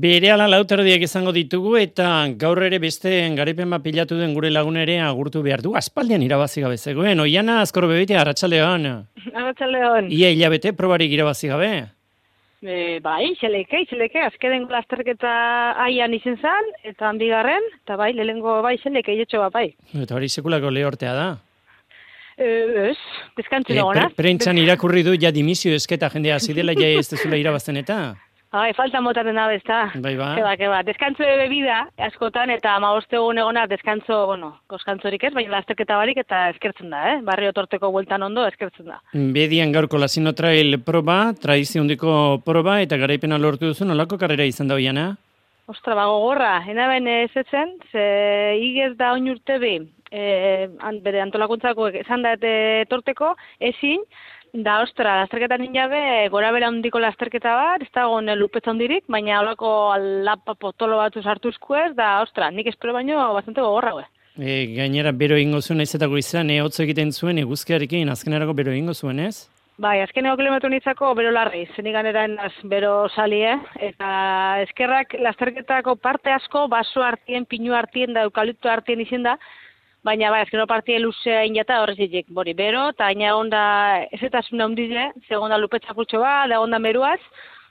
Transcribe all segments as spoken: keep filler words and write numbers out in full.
Berehala lauterdiak izango ditugu eta gaur ere beste garaipen bat pilatu den gure lagun ere agurtu behar du. Aspaldian irabazi gabe zegoen. Oiana Azkor Bebitia, arratsaldeon. Arratsaldeon. Ia hilabete probarik irabazi gabe. E, bai, xeleke, xeleke, azkenen lasterketa aian izen zan, eta handigarren, eta bai, lehengo bai, xeleke, jetxo bat bai. Eta hori sekulako lehortea da. E, ez, deskantzi E, dagoena. pre, Prentxan irakurri du ja dimisio esketa jendea hasi dela ja ez dezula irabazten eta. Bai, falta motaten da bezta. Bai, ba. Keba, keba, deskantzo de bebida, askotan, eta amaboste egun egonak deskantzo, bueno, koskantzorik ez, baina lasterketa barik eta eskertzen da, eh? Barrio torteko bueltan ondo eskertzen da. Bedian gaurko Lasino Trail proba, tradizio handiko proba, eta garaipena lortu duzu, nolako karrera izan da Oiana? Ostra, bago gorra, enaben ez etzen, ze igez da oin urte bi, e, an, bere antolakuntzako esan da eta torteko, ezin, da, ostra, lasterketan injabe, gora bera handiko lasterketa bat, ez da gone lupetza handirik, baina holako alapa potolo batu sartuzko ez, da, ostra, nik espero baino bastante gogorra, gue. E, gainera, bero egingo zuen ezetako izan, e, hotz egiten zuen, eguzkiarekin, azkenerako bero egingo zuen, ez? Bai, azkeneko kilometro nitzako bero larri, zenik ganera enaz bero salie, eta eskerrak lasterketako parte asko, baso hartien, pinu hartien da, eukalipto hartien izen da, baina bai, azkeno partie luzea injata horrezitik, bori, bero, eta aina onda ez eta zuna hundize, segonda lupetza putxo bat, da onda meruaz,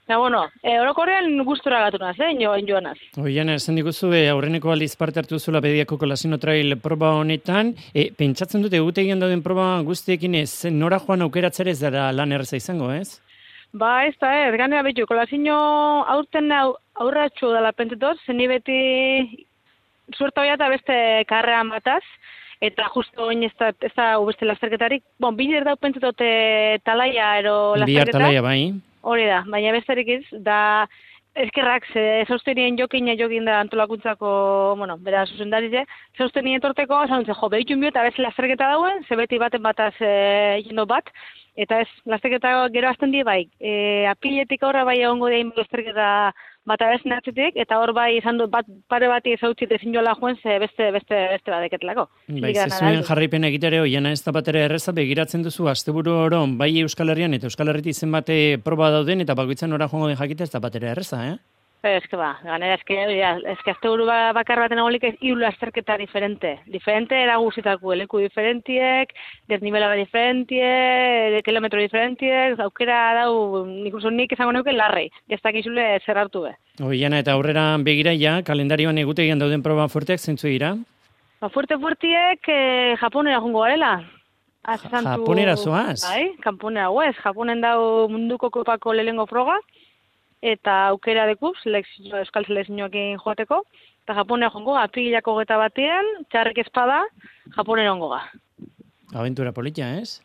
eta bueno, e, orokorrean gustora gatu naz, eh, joan joanaz. Oiana, esan diguzu, e, aurreneko aldiz parte hartu zula Bediako Lasino Trail proba honetan, e, pentsatzen dute egutegian dauden proba guztiekin ez, nora joan aukeratzere ez dara lan erreza izango, ez? Ba, ez da, ez, ganea betu, Lasino aurten au, aurratxu dela pentetoz, zeni beti suerta hoia eta beste karrean bataz, eta justo oin ez da, ez da beste lasterketarik, bon, biler dau pentsatote talaia ero lasterketa. Bihar talaia, bai. Hori da, baina besterik ez, da eskerrak, ze zaustenien jokina jokin da antolakuntzako, bueno, bera zuzendarize, zaustenien torteko, esan dut, jo, behitxun bio eta beste lasterketa dauen, ze beti baten bataz e, jendo bat, eta ez, lasterketa gero azten di bai, e, apiletik aurra bai egongo dein lasterketa bata bez natzetik, eta hor bai izan dut bat, pare bati ezautzit ezin joala joen, ze beste, beste, beste badeketelako. Bai, zezuen jarraipena egitere, Oiana ez da batera erreza, begiratzen duzu, asteburu oron, bai Euskal Herrian eta Euskal Herritik zenbate proba dauden, eta bakoitzan ora joango den jakite ez da batera erreza, eh? Eske ba, ganera eske, ja, eske asteburu bakar baten egolik ez hiru lasterketa diferente. Diferente era guztitako, leku diferentiek, desnibela diferentie, de kilometro diferentiek, aukera dau, nik uste nik izango neuke larrei, ez dakizule zer hartu be. Oiana, eta aurrera begira ja, kalendarioan egutegian dauden proba fuerteak zeintzu dira? Ba, fuerte fuertiek eh, Japonera jongo garela. Ja, Japonera zoaz? Bai, Japonera huez, Japonen dau munduko kopako lehengo froga, eta aukera deku, selekzio, euskal selekzioekin joateko, eta Japonera jongo ga, aprilako geta batean, txarrik espada, Japonera jongo ga. Aventura politia, ez?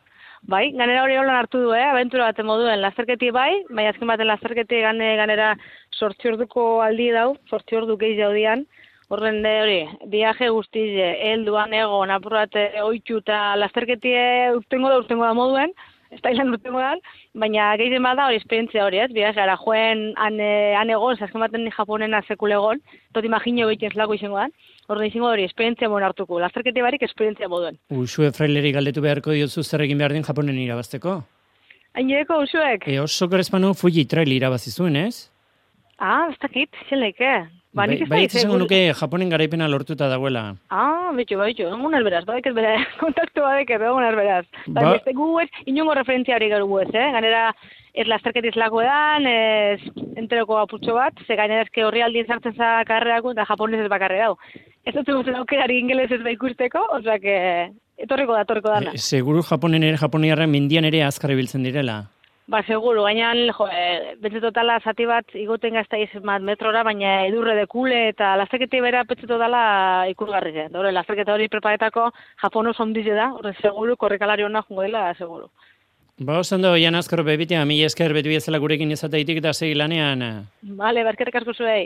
Bai, ganera hori holan hartu du, eh? Aventura baten moduen lasterketi bai, baina azken baten lasterketi gane, ganera sortzi orduko aldi dau, sortzi ordu gehi jaudian, horren de hori, viaje guztize, helduan egon, apurrate, oitxu eta lasterketi urtengo da, urtengo da moduen, ez da ilan urtengo da, baina gehien bada hori esperientzia hori, ez? Biaz, gara, joen han, han egon, azken baten ni Japonena sekule egon, tot imagino behiten zelako izango da, horren izango hori, esperientzia moen hartuko, lasterketi barik esperientzia moduen. Usue fraileri galdetu beharko diozu zer egin behar den Japonen irabazteko? Haineko, usuek? E, oso korespano Fuji Trail irabazi zuen, ez? Ah, ez dakit, zeleke. Ba, nik ez bai, da izango nuke Japonen garaipena lortuta dagoela. Ah, bitxo, bitxo, egun alberaz, badek ez bere, kontaktu badek ez, egun alberaz. Ba, beste gu ez, inongo referentzia hori gero ez, eh? Ganera, ez lasterketiz lako edan, ez enteroko aputxo bat, ze gainera ezke horri aldien sartzen za karrerako, eta japonez ez bakarre dau. Ez dut zuzen aukerari ingelez ez ikusteko, osea, que etorriko da, etorriko dana. E, seguru Japonen ere, Japoniarren mendian ere azkar ibiltzen direla. Ba, seguru, gainan, jo, e, bentze totala zati bat igoten gazta izan metrora, baina edurre dekule eta lasterketi bera bentze totala ikurgarri zen. Dore, lasterketa hori preparetako Japon oso ondize da, horre seguru, korrekalari hona jungo dela, seguru. Ba, osan da, Oiana Azkor Bebitia, mi esker betu bezala gurekin izateitik eta segi lanean. Bale, barkerrik asko zuei.